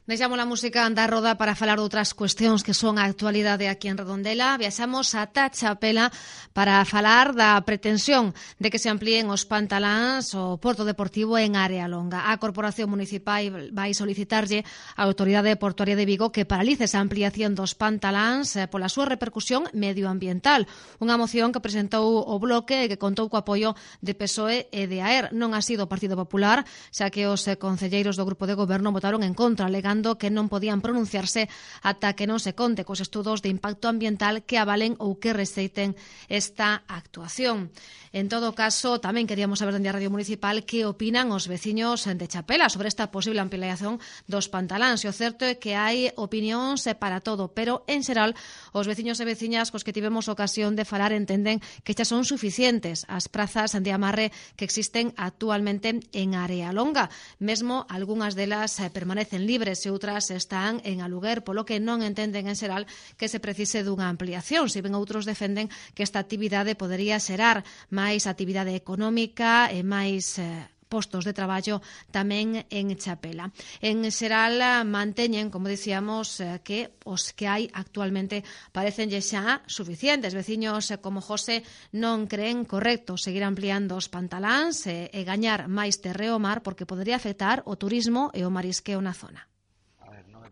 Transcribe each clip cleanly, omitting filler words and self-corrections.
Deixamos a música da roda para falar de outras cuestións que son a actualidade aquí en Redondela. Viaxamos ata Chapela para falar da pretensión de que se amplíen os pantaláns ao Porto Deportivo en Área Longa. A Corporación Municipal vai solicitarlle á Autoridade Portuaria de Vigo que paralice esa ampliación dos pantaláns pola súa repercusión medioambiental. Unha moción que presentou o Bloque e que contou co apoio de PSOE e de AER. Non ha sido o Partido Popular, xa que os concelleiros do Grupo de Goberno votaron en contra, alegando que non podían pronunciarse ata que non se conte cos estudos de impacto ambiental que avalen ou que receiten esta actuación. En todo caso, tamén queríamos saber dende a Radio Municipal que opinan os veciños de Chapela sobre esta posible ampliación dos pantaláns. E o certo é que hai opinións para todo, pero en xeral os veciños e veciñas cos que tivemos ocasión de falar entenden que xa son suficientes as prazas de amarre que existen actualmente en Área Longa. Mesmo algunhas delas permanecen libres e outras están en aluguer, polo que non entenden en xeral que se precise dunha ampliación. Se ben outros defenden que esta actividade podería xerar máis actividade económica e máis postos de traballo tamén en Chapela. En xeral manteñen, como dicíamos, que os que hai actualmente parecenlle xa suficientes. Veciños como José non creen correcto seguir ampliando os pantaláns e gañar máis terreo mar porque podería afectar o turismo e o marisqueo na zona.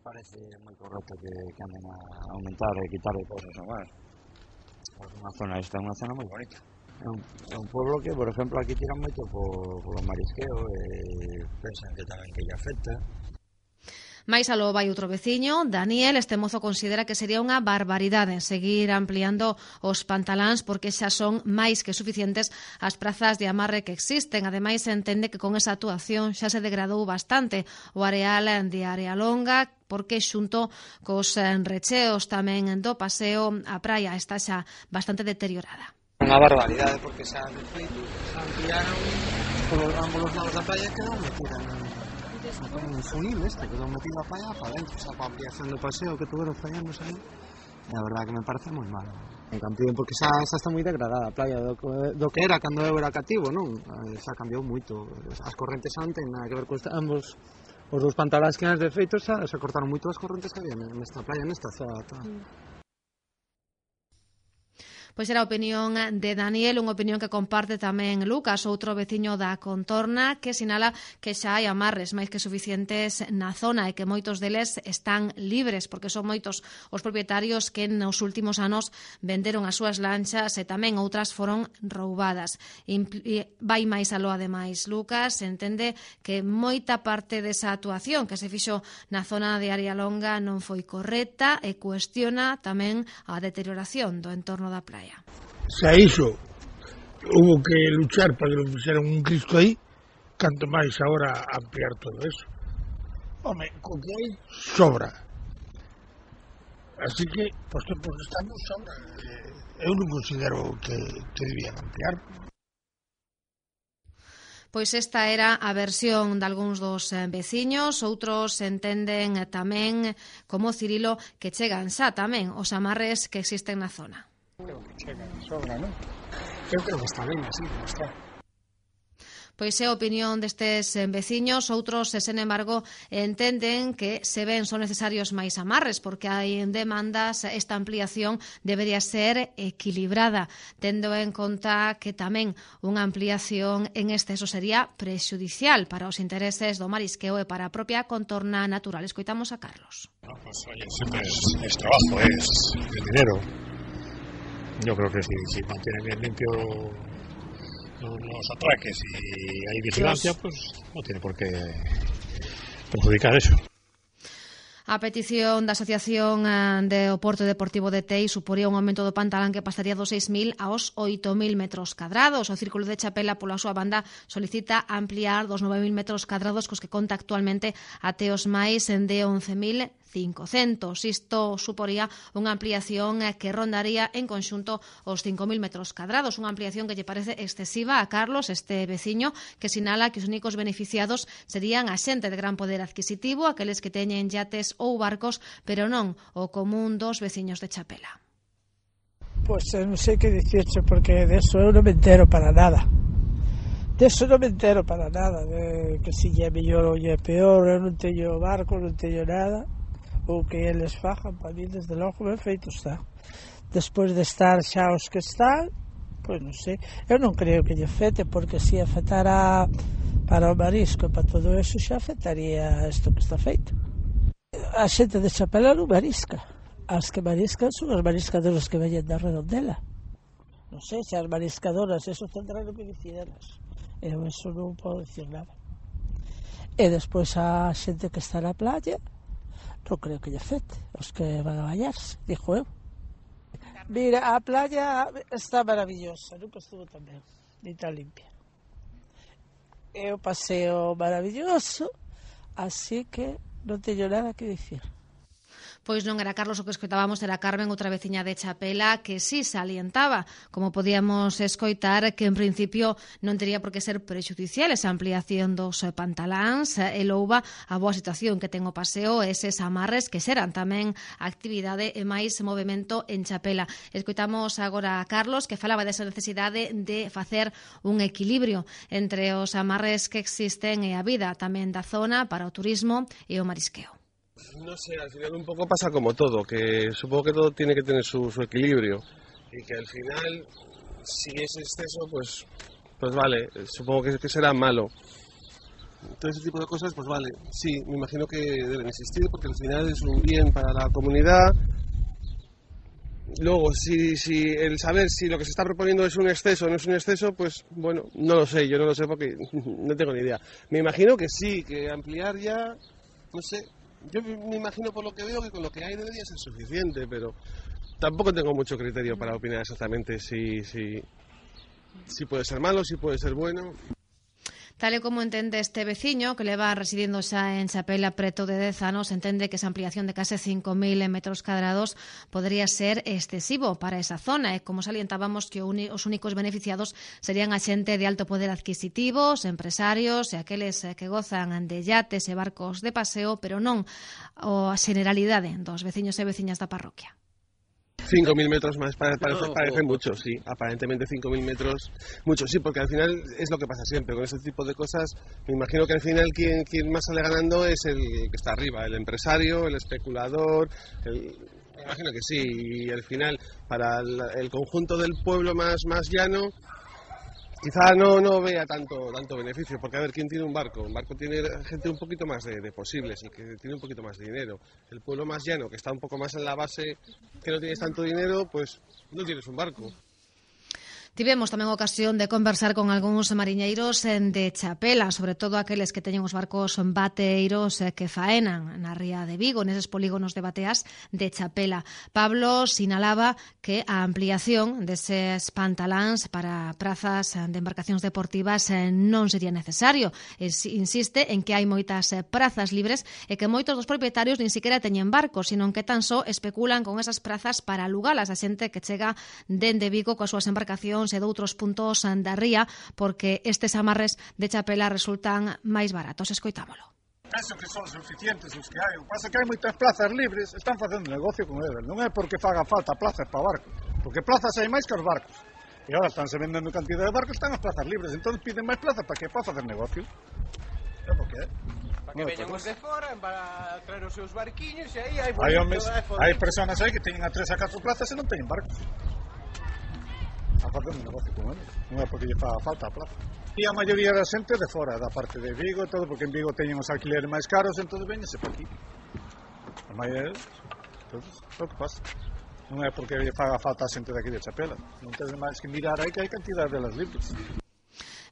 Parece moi correcto que anden a aumentar e quitar de cosas a máis. Esta é unha zona moi bonita. É un pueblo que, por exemplo, aquí tiran moito polo marisqueo e pensan que tamén que lle afecta. Mais aló vai outro veciño, Daniel. Este mozo considera que sería unha barbaridade seguir ampliando os pantaláns porque xa son máis que suficientes as prazas de amarre que existen. Ademais, entende que con esa actuación xa se degradou bastante o areal de Área Longa, porque xunto cos recheos tamén do paseo a praia está xa bastante deteriorada. Unha barbaridade porque xa de feito xa ampliaron por ambos os lados da praia e quedou metida un funil quedou metido a praia para dentro, xa para ampliación do paseo que tuveron fallándose aí. E a verdade que me parece moi mal. En Campín porque xa está moi degradada a praia do que era cando eu era cativo, non? Xa cambiou moito. As correntes xa non ten nada que ver con ambos os dous pantaláns que antes de feito xa se cortaron moito as correntes que había nesta praia, nesta zona. Pois era a opinión de Daniel, unha opinión que comparte tamén Lucas, outro veciño da contorna, que sinala que xa hai amarres máis que suficientes na zona e que moitos deles están libres, porque son moitos os propietarios que nos últimos anos venderon as súas lanchas e tamén outras foron roubadas. Vai máis aló, ademais, Lucas entende que moita parte desa actuación que se fixo na zona de Área Longa non foi correcta e cuestiona tamén a deterioración do entorno da praia. Se a iso hubo que luchar para que lo fixeran un Cristo aí, canto máis agora ampliar todo eso. Home, co que hai sobra. Así que, pois tempos que estamos sobra. Eu non considero que debían ampliar. Pois esta era a versión de algúns dos veciños, outros entenden tamén, como Cirilo, que chegan xa tamén os amarres que existen na zona. Creo que chega, sobra, non? Eu creo que está ben así, como está. Pois é a opinión destes veciños. Outros, sen embargo, entenden que se ven son necesarios máis amarres porque hai demandas, esta ampliación debería ser equilibrada, tendo en conta que tamén unha ampliación en exceso sería prexudicial para os intereses do marisqueo e para a propia contorna natural. Escoitamos a Carlos. No, pues oye, siempre es trabajo, es dinero. Yo creo que si mantienen bien limpio los atraques y hay vigilancia, pues no tiene por qué perjudicar eso. A petición da Asociación do Porto Deportivo de Tei suporía un aumento do pantalán que pasaría dos 6.000 aos 8.000 metros cadrados. O Círculo de Chapela, pola súa banda, solicita ampliar dos 9.000 metros cadrados cos que conta actualmente até os máis de 11.500. Isto suporía unha ampliación que rondaría en conxunto os 5.000 metros cadrados. Unha ampliación que lle parece excesiva a Carlos, este veciño, que sinala que os únicos beneficiados serían a xente de gran poder adquisitivo, aqueles que teñen yates ou barcos, pero non o común dos veciños de Chapela. Pois non sei que dicirche, porque de eso eu non me entero para nada. Deso non me entero para nada, de que si é mellor ou é peor, eu non teño barco, non teño nada, ou que eles fajan, para mí desde logo ben feito está. Despois de estar xa os que están, pois non sei, eu non creo que lle afecte, porque se afectara para o marisco e para todo eso xa afectaría isto que está feito. A xente de Chapela non marisca, as que mariscan son as mariscadoras que veñen da Redondela. Non sei se as mariscadoras eso tendrán o que dicir elas. Eu eso non podo dicir nada. E despois a xente que está na playa non creo que lle afecte, os que van a bañarse, dixo eu. Mira, a playa está maravillosa, nunca estuvo tan ben, ni tan limpia. É un paseo maravilloso, así que non teño nada que dicir. Pois non era Carlos o que escoitábamos, era Carmen, outra veciña de Chapela, que sí salientaba, como podíamos escoitar, que en principio non tería por que ser prexudicial esa ampliación dos pantaláns e louva a boa situación que ten o paseo e eses amarres que serán tamén actividade e máis movimento en Chapela. Escoitamos agora a Carlos, que falaba desa necesidade de facer un equilibrio entre os amarres que existen e a vida tamén da zona para o turismo e o marisqueo. No sé, al final un poco pasa como todo, que supongo que todo tiene que tener su equilibrio y que al final, si es exceso, pues vale, supongo que será malo. Todo ese tipo de cosas, pues vale, sí, me imagino que deben existir porque al final es un bien para la comunidad. Luego, si el saber si lo que se está proponiendo es un exceso o no es un exceso, pues bueno, no lo sé, yo no lo sé porque no tengo ni idea. Me imagino que sí, que ampliar ya, no sé. Yo me imagino por lo que veo que con lo que hay debería ser suficiente, pero tampoco tengo mucho criterio para opinar exactamente si puede ser malo, si puede ser bueno. Tal e como entende este veciño, que leva residindo xa en Chapela preto de 10 anos, entende que esa ampliación de case 5.000 metros cadrados podría ser excesivo para esa zona, e como salientábamos que os únicos beneficiados serían a xente de alto poder adquisitivo, os empresarios e aqueles que gozan de yates e barcos de paseo, pero non a generalidade dos veciños e veciñas da parroquia. 5.000 metros más parece mucho, sí, aparentemente 5.000 metros, mucho, sí, porque al final es lo que pasa siempre, con este tipo de cosas, me imagino que al final quien más sale ganando es el que está arriba, el empresario, el especulador, me imagino que sí, y al final para el conjunto del pueblo más llano, quizá no vea tanto beneficio, porque a ver, ¿quién tiene un barco? Un barco tiene gente un poquito más de posibles y que tiene un poquito más de dinero. El pueblo más llano, que está un poco más en la base, que no tienes tanto dinero, pues no tienes un barco. Tivemos tamén ocasión de conversar con algúns mariñeiros de Chapela, sobre todo aqueles que teñen os barcos bateiros que faenan na ría de Vigo, neses polígonos de bateas de Chapela. Pablo sinalaba que a ampliación deses pantaláns para prazas de embarcacións deportivas non sería necesario. Insiste en que hai moitas prazas libres e que moitos dos propietarios nin siquiera teñen barcos, sino que tan só especulan con esas prazas para alugalas a xente que chega dende Vigo coas súas embarcacións e de outros puntos da ría, porque estes amarres de Chapela resultan máis baratos. Escoitámolo. Penso que son suficientes os que hai. O que pasa é que hai moitas plazas libres, están facendo negocio con eles. Non é porque faga falta plazas para barcos, porque plazas hai máis que os barcos. E agora estánse vendendo cantidad de barcos, están as plazas libres, entón piden máis plazas para que para facer negocio. É porque é. Para que veñan os de fora, para traer os seus barquiños, e aí hai... Hai personas aí que teñen a 3 a 4 plazas e non teñen barcos. A facer un negocio con eles, non é porque lle faga falta a plaza. E a maioría da xente de fora, da parte de Vigo, todo, porque en Vigo teñen os alquileres máis caros, entón veñese para aquí. A maioría deles, entón, é o que pasa. Non é porque lle faga falta a xente de aquí de Chapela, non tedes máis que mirar aí que hai cantidad delas libres.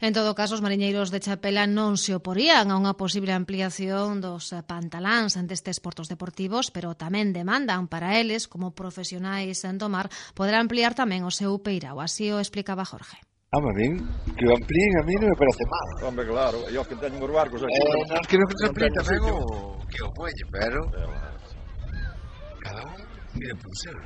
En todo caso, os mariñeiros de Chapela non se oporían a unha posible ampliación dos pantaláns destes portos deportivos, pero tamén demandan para eles, como profesionais do mar, poder ampliar tamén o seu peirao. Así o explicaba Jorge. A min, que o amplíen a mí non me parece mal. Hombre, claro, e os que teñen os barcos aquí. Nós queremos que se amplíen tamén o que o puelle, pero cada un mire por ser.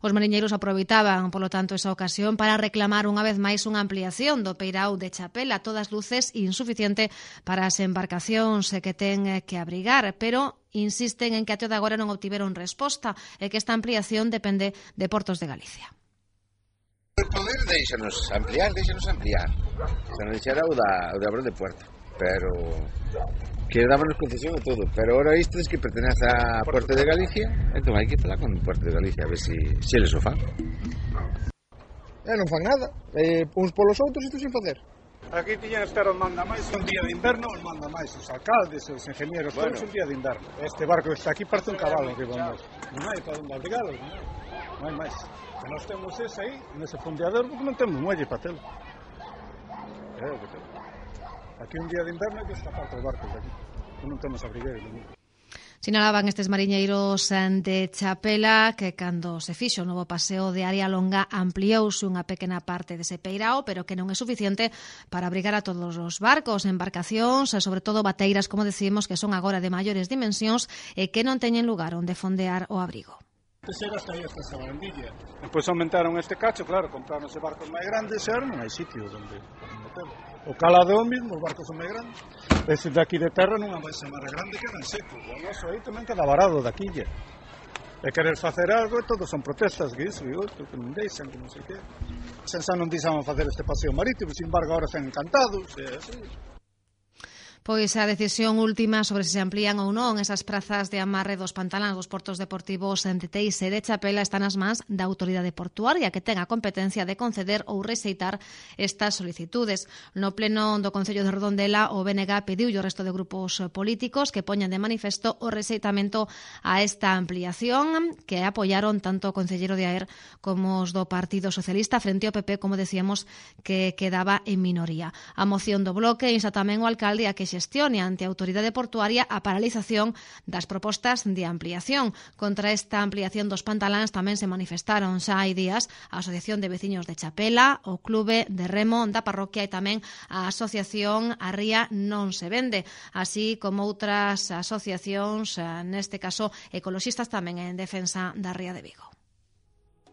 Os mariñeiros aproveitaban, polo tanto, esa ocasión para reclamar unha vez máis unha ampliación do peirao de Chapela, a todas luces insuficiente para as embarcacións que ten que abrigar, pero insisten en que até de agora non obtiveron resposta e que esta ampliación depende de Portos de Galicia. O poder deixanos ampliar. Se non deixara o de Abro de Puerto, pero que dábanos concesión a todo, pero ahora isto es que pertenece a Puerto de Galicia, entón hai que falar con Puerto de Galicia a ver se eles o fan. Non fan nada, uns polos outros isto sin facer. Aquí tiñan estar os manda máis, un día de inverno os manda máis, os alcaldes, os ingenieros, todos un día de inverno. Este barco que está aquí parece un cabalo que vamos. Non hai para onde abrigalos, non hai máis. Que nós temos ese aí, nese fondeador, porque non temos muelle para telo. É o que temos. Aquí un día de inverno hai que escapar os barcos aquí. Non temos abrigueiros. Sinalaban estes mariñeiros de Chapela que cando se fixo o novo paseo de área longa ampliouse unha pequena parte dese peirao, pero que non é suficiente para abrigar a todos os barcos, embarcacións, e sobre todo bateiras, como decimos, que son agora de maiores dimensións e que non teñen lugar onde fondear o abrigo. Era hasta aí, hasta esa barandilla. Depois aumentaron este cacho, claro, compraronse barcos máis grandes e ahora non hai sitio onde meter. O calado é o mismo, os barcos son máis grandes. Ese daqui de terra non é máis grande que en seco. O noso aí tamén queda varado daqui. E querer facer algo e todos son protestas que iso, que non deixan, que non sei que. Xa non deixaban facer este paseo marítimo, sin embargo, agora están encantados, e así. Pois a decisión última sobre se amplían ou non esas prazas de amarre dos pantaláns dos portos deportivos de Teixe de Chapela están nas mans da autoridade portuaria que ten a competencia de conceder ou rexeitar estas solicitudes. No pleno do Concello de Redondela, o BNG pediu ao resto de grupos políticos que poñan de manifesto o rexeitamento a esta ampliación que apoiaron tanto o concelleiro de Aer como os do Partido Socialista frente ao PP, como decíamos, que quedaba en minoría. A moción do bloque insta tamén o alcalde a que xestione ante a autoridade portuaria a paralización das propostas de ampliación. Contra esta ampliación dos pantaláns tamén se manifestaron xa hai días a Asociación de Veciños de Chapela, o Clube de Remo da parroquia e tamén a Asociación A Ría Non Se Vende, así como outras asociacións, neste caso ecoloxistas tamén en defensa da Ría de Vigo.